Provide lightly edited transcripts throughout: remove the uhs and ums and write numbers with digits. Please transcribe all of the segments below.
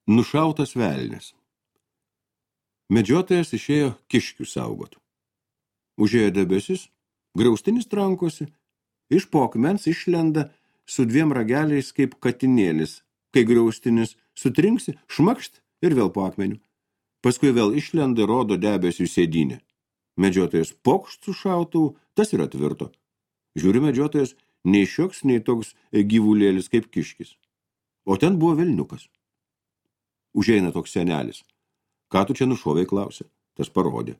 Nušautas velnis. Medžiotojas išėjo kiškių saugot. Užėjo debesis, griaustinis trankosi, iš po akmens išlenda su 2 rageliais kaip katinėlis, kai griaustinis sutrinksi, šmakšt ir vėl po akmeniu. Paskui vėl išlenda ir rodo debesių sėdynę. Medžiotojas pokšt su šautuvu, tas yra tvirto. Žiūri medžiotojas, nei šioks, nei toks gyvulėlis kaip kiškis. O ten buvo velniukas. Užeina toks senelis. Ką tu čia nušovei, klausė. Tas parodė.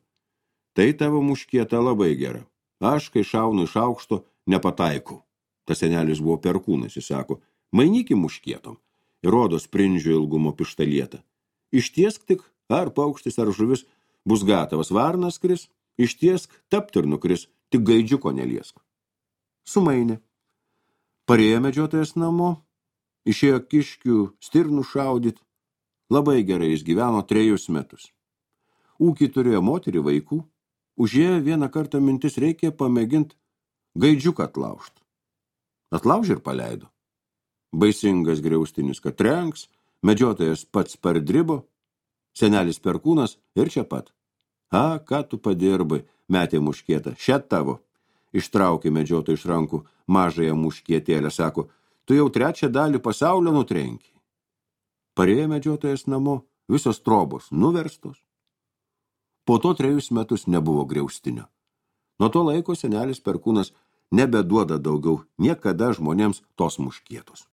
Tai tavo muškieta labai gera. Aš, kai šaunu iš aukšto, nepataikau. Tas senelis buvo perkūnas, jis sako, mainyki muškietom. Ir rodo sprindžio ilgumo pištalietą. Ištiesk tik, ar paukštis, ar žuvis, bus gatavas varnas kris, ištiesk, tapt ir nukris, tik gaidžiuko neliesk. Sumainė. Parėjo medžiotojas namo, išėjo kiškių stirnų šaudyt. Labai gerai jis gyveno 3 metus. Ūkį turėjo moterį, vaikų. Užėjo vieną kartą mintis, reikia pamėgint gaidžiuką atlaužt. Atlaužė ir paleido. Baisingas griaustinis, kad trenks, medžiotojas pats pardribo, senelis perkūnas ir čia pat. A, ką tu padirbai, metė muškietą, šia tavo. Ištraukė medžiotoją iš rankų mažąją muškietėlę, sako, tu jau 3 dalį pasaulio nutrenki. Parėjo medžiotojas namo, visos trobos nuverstos. Po to 3 metus nebuvo griaustinio. Nuo to laiko senelis perkūnas nebeduoda daugiau niekada žmonėms tos muškietos.